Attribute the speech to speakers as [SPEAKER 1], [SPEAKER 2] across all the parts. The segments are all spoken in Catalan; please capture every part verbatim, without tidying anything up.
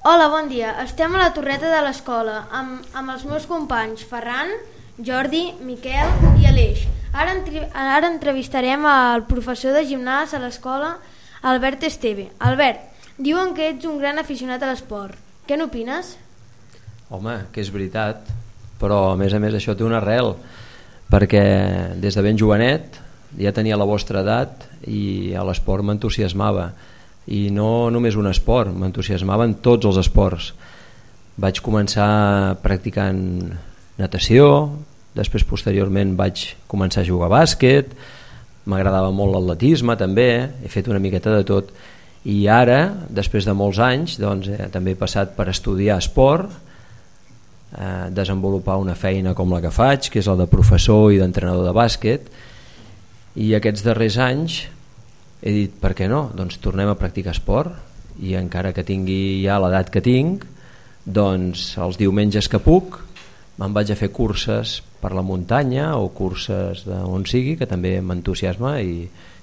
[SPEAKER 1] Hola, bon dia. Estem a la torreta de l'escola amb, amb els meus companys Ferran, Jordi, Miquel i Aleix. Ara, entre, ara entrevistarem al professor de gimnàs a l'escola, Albert Esteve. Albert, diuen que ets un gran aficionat a l'esport. Què n'opines?
[SPEAKER 2] Home, que és veritat, però a més a més això té una arrel, perquè des de ben jovenet ja tenia la vostra edat i a l'esport m'entusiasmava, i no només un esport, m'entusiasmaven tots els esports. Vaig començar practicant natació, després posteriorment vaig començar a jugar a bàsquet, m'agradava molt l'atletisme també, he fet una miqueta de tot, i ara, després de molts anys, doncs, eh, també he passat per estudiar esport, eh, desenvolupar una feina com la que faig, que és la de professor i d'entrenador de bàsquet, i aquests darrers anys he dit, per què no? Doncs tornem a practicar esport, i encara que tingui ja l'edat que tinc, doncs els diumenges que puc me'n vaig a fer curses per la muntanya o curses d'on sigui, que també m'entusiasma i,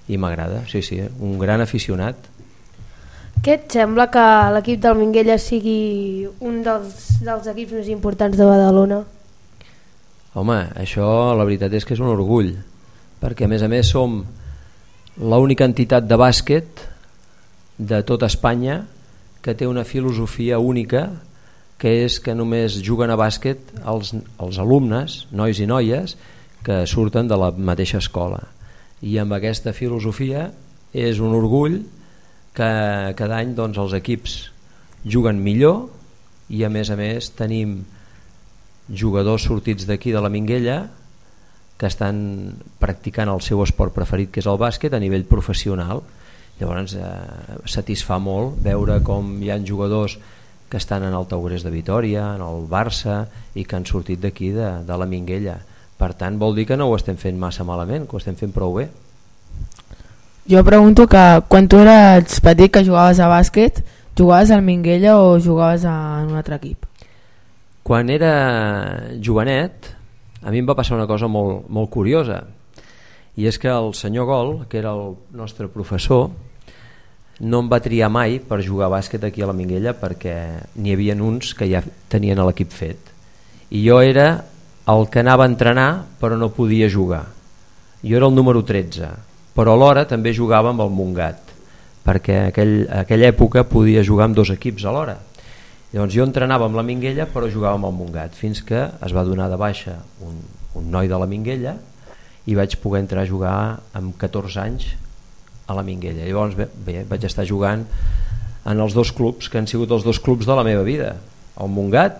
[SPEAKER 2] i m'agrada. Sí, sí, un gran aficionat.
[SPEAKER 3] Què et sembla que l'equip del Minguella sigui un dels, dels equips més importants de Badalona?
[SPEAKER 2] Home, això la veritat és que és un orgull, perquè a més a més som l'única entitat de bàsquet de tota Espanya que té una filosofia única, que és que només juguen a bàsquet els, els alumnes, nois i noies, que surten de la mateixa escola. I amb aquesta filosofia és un orgull que cada any doncs, els equips juguen millor, i a més a més tenim jugadors sortits d'aquí de la Minguella que estan practicant el seu esport preferit, que és el bàsquet, a nivell professional. Llavors eh, satisfà molt veure com hi ha jugadors que estan en el Taurés de Vitòria, en el Barça, i que han sortit d'aquí de, de la Minguella. Per tant, vol dir que no ho estem fent massa malament, que ho estem fent prou bé.
[SPEAKER 4] Jo pregunto que quan tu eres petit, que jugaves a bàsquet, jugaves al Minguella o jugaves en un altre equip?
[SPEAKER 2] Quan era jovenet, a mi em va passar una cosa molt, molt curiosa, i és que el senyor Gol, que era el nostre professor, no em va triar mai per jugar a bàsquet aquí a la Minguella, perquè n'hi havia uns que ja tenien l'equip fet, i jo era el que anava a entrenar però no podia jugar. Jo era el número tretze, però alhora també jugava amb el Montgat, perquè en aquell, aquella època podia jugar amb dos equips alhora. Llavors jo entrenava amb la Minguella però jugava amb el Montgat, fins que es va donar de baixa un, un noi de la Minguella i vaig poder entrar a jugar amb catorze anys a la Minguella. Llavors bé, bé, vaig estar jugant en els dos clubs que han sigut els dos clubs de la meva vida, el Montgat